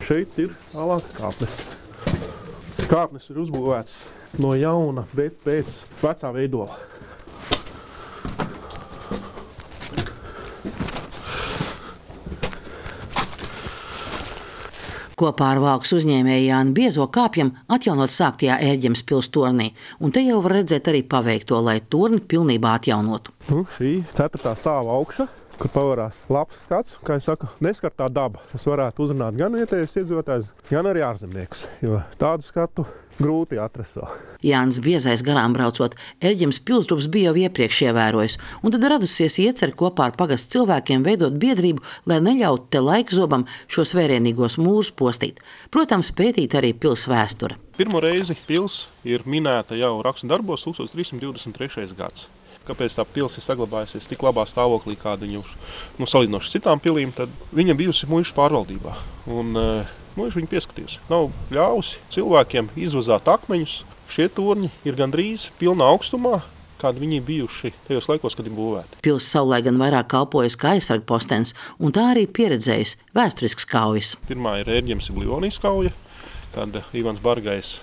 šeit ir tālāk kāpnes. Kāpnes ir uzbūvētas no jauna, bet pēc vecā veidola. Kopā ar Valkas uzņēmēju Jāni Biezo kāpjam atjaunot sāktajā Ērģemes pils tornī, un te jau var redzēt arī paveikto, lai torni pilnībā atjaunotu. Šī 4. stāva augša, kur pavarās labs skats, kā es saku, neskartā daba, kas varētu uzrunāt gan vietējos iedzīvotājus, gan arī ārzemniekus, jo tādu skatu grūti atrast vēl. Jānis Biezais garām braucot, Ērģemes pilsdrupes bija jau iepriekš ievērojis, un tad radusies iecer kopā ar pagastu cilvēkiem veidot biedrību, lai neļautu te laikzobam šos vērienīgos mūrus postīt. Protams, pētīt arī pils vēsture. Pirmo reizi pils ir minēta jau rakstu darbos 1323. gads. Kāpēc tā pils ir saglabājusies tik labā stāvoklī, kāda viņa salīdzinoši citām pilīm, tad viņa bijusi muižu pārvaldībā. Un muiža viņa pieskatījusi. Nav ļāvusi cilvēkiem izvazāt akmeņus. Šie torņi ir gandrīz pilnā augstumā, kādi viņi bijuši tajos laikos, kad viņi būvēti. Pils savulaik gan vairāk kalpojas kā aizsargpostens, un tā arī pieredzējusi vēsturisks kaujas. Pirmā ir Ērģemes Livonijas kauja, kad Ivans Bargais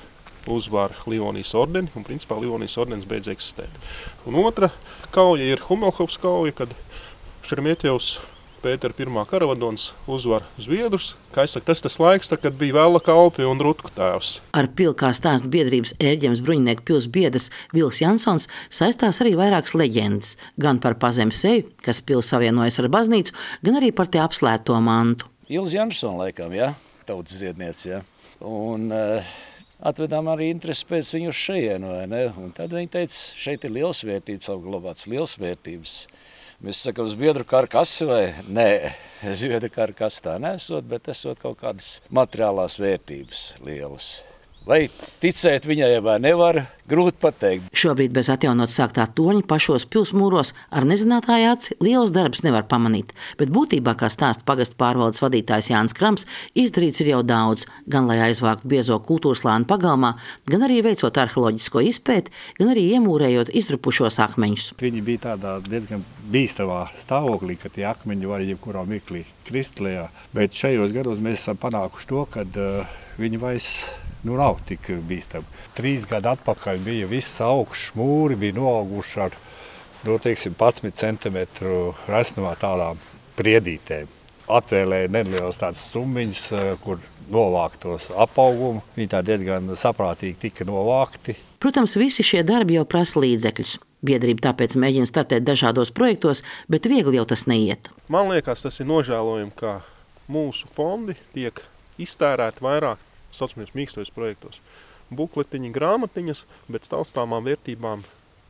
uzvar Livonijas ordeni, un principā Livonijas ordenis beidz eksistēt. Un otra kauja ir Humelhofas kauja, kad Šeremetjevs Pētera I karavadons uzvar Zviedrus. Kā es saku, tas laiks, kad bija Vēla kalpi un Rutku tēvs. Ar pili kā stāsta biedrības Ērģemes bruņinieku pils biedrs Vils Jansons saistās arī vairākas leģendas, gan par pazemes seju, kas pils savienojas ar baznīcu, gan arī par te apslēpto mantu. Ilze Jansona laikam, tautas dziedniece, Un atvedām arī interesi pēc viņu uz šejienu, vai ne? Un tad viņi teica, šeit ir liels vērtības, apglabāts liels vērtības. Mēs sakām, uz biedru karkasi vai? Nē, zviedru karkas tā nesot, bet esot kaut kādas materiālās vērtības lielas. Vai ticēt viņai vai nevar, grūti pateikt. Šobrīd bez atjaunot sāktā torņa pašos pilsmūros ar nezinātāju aci liels darbs nevar pamanīt, bet būtībā, kā stāsta pagastu pārvaldes vadītājs Jānis Krams, izdarīts ir jau daudz, gan lai aizvāktu Biezo kultūrslāni pagalmā, gan arī veicot arheoloģisko izpēti, gan arī iemūrējot izdrupušos akmeņus. Viņi bija tādā diezgan bīstamā stāvoklī, ka tie akmeņi var jebkurā mirklī krist lejā, bet šajos gados mēs esam panākuši to, ka viņi vairs nav tik bīstami. 3 gadu atpakaļ bija viss augšs mūri, bija noauguši ar 11 centimetru resnumā tādām priedītēm. Atvēlēja nelielas tādas stumbiņas, kur novākt tos apaugumu. Viņi tā diezgan saprātīgi tika novākti. Protams, visi šie darbi jau prasa līdzekļus. Biedrība tāpēc mēģina startēt dažādos projektos, bet viegli jau tas neiet. Man liekas, tas ir nožēlojami, ka mūsu fondi tiek iztērēti vairāk saucamies mīkstojos projektos. Bukletiņi, grāmatiņas, bet taustāmām vērtībām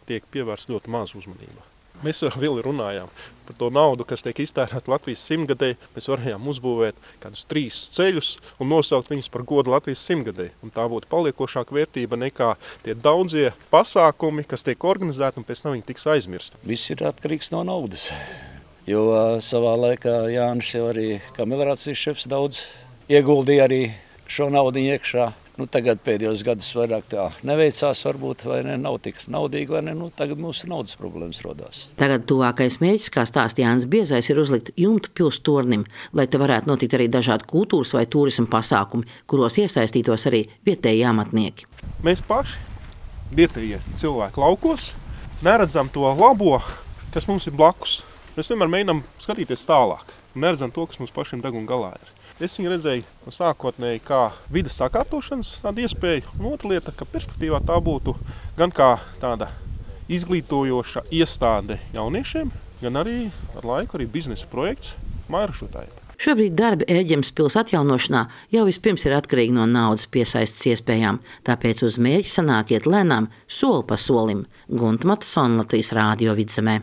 tiek pievērsts ļoti maz uzmanība. Mēs vēl runājām par to naudu, kas tiek iztērēta Latvijas 100-gadei. Mēs varējām uzbūvēt kādus 3 ceļus un nosaukt viņus par godu Latvijas 100-gadei. Un tā būtu paliekošāka vērtība nekā tie daudzie pasākumi, kas tiek organizēti un pēc tam viņi tiks aizmirsti. Viss ir atkarīgs no naudas, jo savā laikā Jānis jau arī kā melorācijas šefs daudz ieguldīja arī šo naudu iekšā. Tagad pēdējos gadus vairāk tā neveicās, varbūt, vai ne, nav tik naudīgi, vai ne, tagad mūsu naudas problēmas rodās. Tagad tuvākais mērķis, kā stāsta Jānis Biezais, ir uzlikt jumtu pils tornim, lai te varētu notikt arī dažādi kultūras vai turisma pasākumi, kuros iesaistītos arī vietēji amatnieki. Mēs paši, vietējie cilvēki laukos, neredzam to labo, kas mums ir blakus. Mēs vienmēr mēģinām skatīties tālāk un neredzam to, kas mums pašiem deguna galā ir. Es viņu redzēju sākotnēji kā vides sakārtošanas tāda iespēja, un otra lieta, ka perspektīvā tā būtu gan kā tāda izglītojoša iestāde jauniešiem, gan arī ar laiku arī biznesa projekts mājražotājiem. Šobrīd darbi Ērģemes pils atjaunošanā jau vispirms ir atkarīgi no naudas piesaistes iespējām, tāpēc uz mērķi sanākiet lēnām soli pa solim. Gunta Matasona, Latvijas Rādio Vidzemē.